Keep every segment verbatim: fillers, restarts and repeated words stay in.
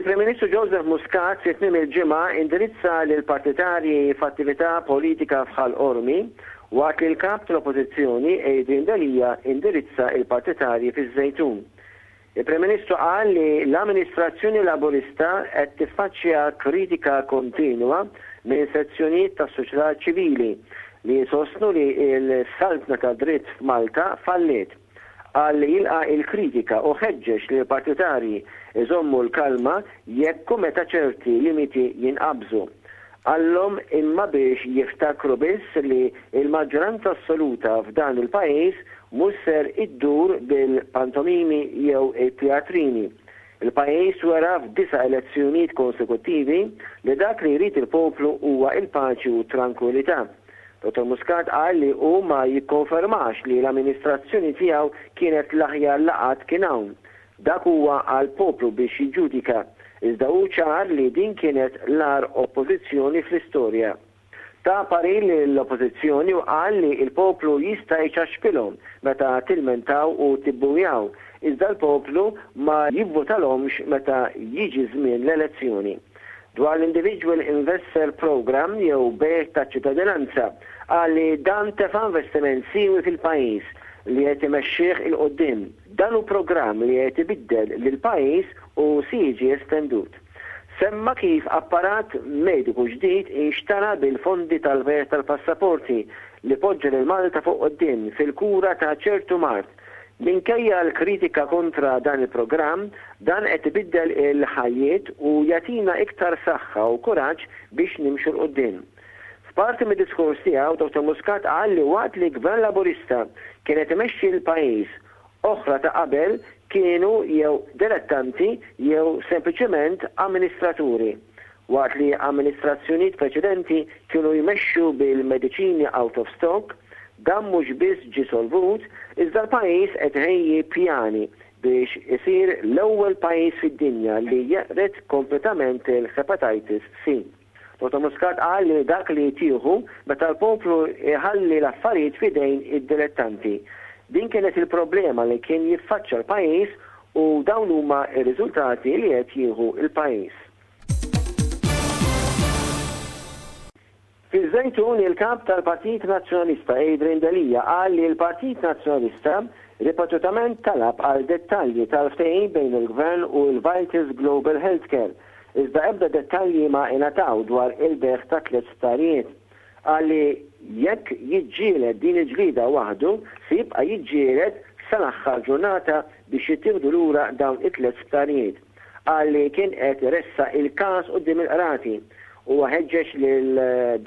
Il-Prim Ministru Joseph Muscat fi tmiem il-ġimgħa indirizza lill-partitarji f'attività politika f'Ħal Qormi, waqt li l-Kap tal-Oppożizzjoni Adrian Delia indirizza il-partitarji fiż-Żejtun. Il-Prim Ministru qal li l-amministrazzjoni Laburista qed tiffaċċja kritika kontinwa minn sezzjonijiet tas-soċjetà ċivili li jsostnu li l-saltna ta' dritt f'Malta falliet. Qal li jilqa' il-kritika u ħeġġeġ li l-partitarji iżommu l-kalma jekk u meta ċerti limiti jinqabżu. Qallhom imma biex jiftakru biss li l-maġġoranza assoluta f'dan il-pajjiż mhux ser iddur bil-pantomimi jew it-teatrini. Il-pajjiż wera f'disa' elezzjonijiet konsekuttivi li dak li jrid il-poplu huwa il-paċi u trankwilità. Dottor Muscat qal li hu ma jikkonfermax li l-amministrazzjoni tiegħu kienet l-aħjar li qatt kien hawn. Dak huwa għall-poplu biex jiġġudika, iżda hu ċar li din kienet l-agħar oppożizzjoni fl-istorja. Ta parir lill-oppożizzjoni u qal li l-poplu jista' jċaxkilhom meta tilmentaw u tibbujaw, iżda l-poplu ma jivvutalhomx meta jiġi żmien l-elezzjoni. Dwar l-Individual Investor Program jew bejgħ ta' ċittadinanza, qal li dan tefa' investiment siewi fil-pajjiż li qed imexxih 'il quddiem. Dan hu programm li qed ibiddel lil pajjiż u se jiġi estendut. Semma kif apparat mediku ġdid inxtara bil-fondi tal-bejgħ tal-passaporti li poġġa lil Malta fuq quddiem fil-kura ta' ċertu mard. Minkejja l-kritika kontra dan il-programm, dan qed ibiddel il-ħajjiet u jagħtina iktar saħħa u kuraġġ biex nimxu 'l quddiem. F'parti mid-diskors tiegħu, Dottor Muscat qal li waqt li Gvern Laburista kien qed imexxi l-pajjiż, oħra ta' qabel kienu jew dilettanti jew sempliċement amministraturi. Waqt li amministrazzjonijiet preċedenti kienu jmexxu bil-mediċini out of stock, dan mhux biss ġi solvut, iżda l-pajjiż qed iħejji pjani biex isir l-ewwel pajjiż fid-dinja li jeqred kompletament il-hepatitis C. Dottor Muscat qal li dak li tieħu meta l-poplu iħalli l-affarijiet f'idejn id-dilettanti. Din kienet il-problema li kien jiffaċċa l-pajjiż u dawn huma r-riżultati li qed jieħu l-pajjiż. Fiż-Żejtun, il-kap tal-Partit Nazzjonalista Adrian Delia qal li l-Partit Nazzjonalista ripetutament talab għal dettalji tal-ftehim bejn il-Gvern u l-Vitas Global Healthcare, iżda ebda dettalji ma ingħataw dwar il-bejgħ ta' tliet sptarijiet. Qal li jekk jiġġieled din il-ġlieda waħdu, se jibqa' jiġġieled sal-aħħar ġurnata biex jittieħdu lura dawn it-tliet sptarijiet. Qal li kien qed iressaq il-każ quddiem il-qrati. Huwa ħeġġeġ lil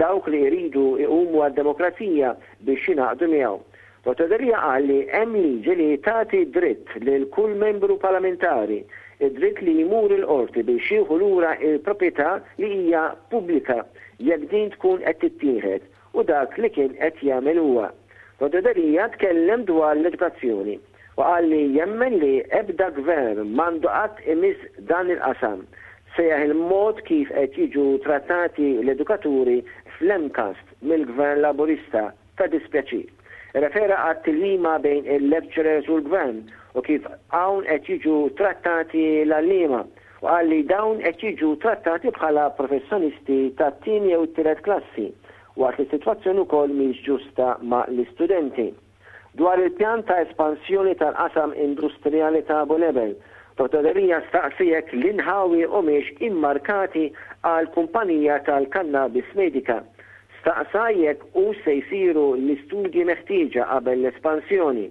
dawk li jridu jqumu għad-demokrazija biex jingħaqdu miegħu. Dottor Delia qal li hemm liġi li tagħti dritt lil kull membru parlamentari, id-dritt li jmur il-qorti biex jieħu lura il-proprjetà li hija pubblika jekk din tkun qed tittieħed, u dak li kien qed jagħmel huwa. Dottor Delia tkellem dwar l-edukazzjoni u qal li jemmen li ebda gvern m'għandu qatt imiss dan il-qasam. Sejjaħ il-mod kif qed jiġu trattati l-edukaturi fl-MCAST mill-Gvern Laburista ta' dispjaċir. Refera għat-tilwima bejn il-lecturers u l-gvern u kif hawn qed jiġu trattati l-għalliema, u qal li dawn qed jiġu trattati bħala professjonisti tat-tieni jew t-tielet klassi, waqt li s-sitwazzjoni wkoll mhix ġusta ma' l-istudenti. Dwar il-pjan ta' espansjoni tal-qasam industrijali ta' Bulebel, Dottor Delia staqsi jekk l-inħawi humiex immarkati għal kumpanija tal-kannabis medika. Staqsa jekk hu se jsiru l-istudji meħtieġa qabel l-espansjoni.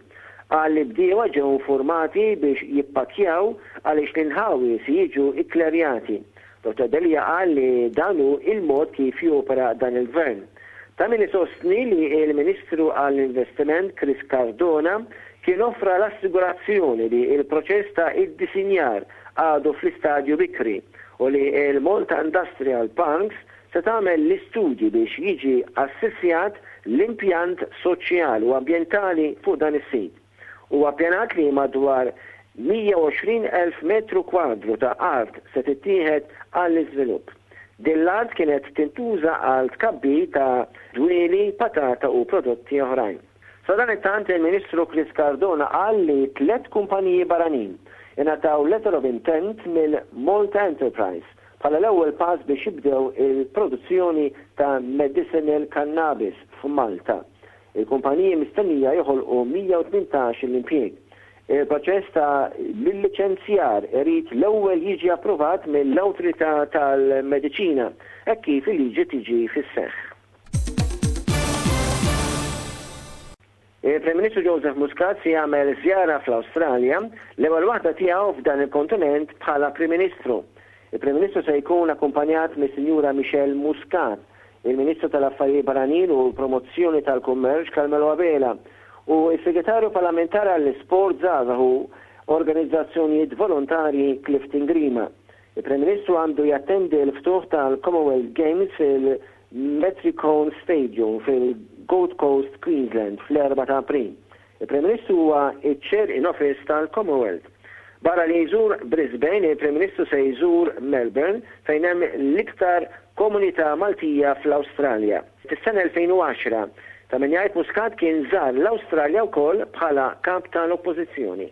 Qal li bdiewa ġew informati biex jippakjaw għaliex l-inħawi se jiġu ikklerjati. Dottor Delia qal li dan hu il-mod kif jopera dan il-gvern. Ta' min isostni li il-Ministru għall-Investiment Chris Cardona kien offra l-assigurazzjoni li il-proċess ta' iddisinjar għadu fl-istadju bikri u li il-Malta Industrial Parks se tagħmel l-istudji biex jiġi assessjat l-impjant soċjali u ambjentali fuq dan is-sit. Huwa ppjanat li madwar mija u għoxrin elf metru kwadru ta' art se tittieħed għall-iżvilupp. Din l-art kienet tintuża għal tkabbir ta' dwieli, patata u prodotti oħrajn. Sadanittant il-Ministru Chris Cardona qal li tliet kumpaniji barranin ingħataw letter of intent mill-Malta Enterprise bħala l-ewwel pass biex jibdew il-produzzjoni ta' medicinal cannabis f'Malta. Il-kumpaniji mistennija joħolqu mija u tmintax l-impjieg. Il-proċess ta' l-liċenzjar irid l-ewwel jiġi approvat mill-Awtorità tal-Mediċina hekk kif il-liġi tiġi fis-seħħ. Il-Prim Ministru Joseph Muscat se jagħmel żjara fl-Awstralja, l-ewwel waħda tiegħu f'dan il-kontinent bħala Prim Ministru. Il-Prim Ministru se jkun akkumpanjat mis-Sinjura Michelle Muscat, il-Ministru tal-Affarijiet Barranin u Promozzjoni tal-Kummerċ Carmelo Abela u s-Segretarju Parlamentari għall-Isport, Żgħażagħ u Organizzazzjonijiet Volontarji Clifton Grima. Il-Prim Ministru għandu jattendi l-ftuħ tal-Commonwealth Games fil-Metricon Stadium fil-Gold Coast, Queensland fl-erbgħa ta' April. Il-Prim Ministru huwa iċ-Chair in Office tal-Commonwealth. Barra li jżur Brisbane, il-Prim Ministru se jżur Melbourne, fejn hemm l-iktar komunità Maltija fl-Awstralja. Fis-sena elfejn u għaxra, ta' min jgħid, Muscat kien żar l-Awstralja wkoll bħala kap tal-Oppożizzjoni.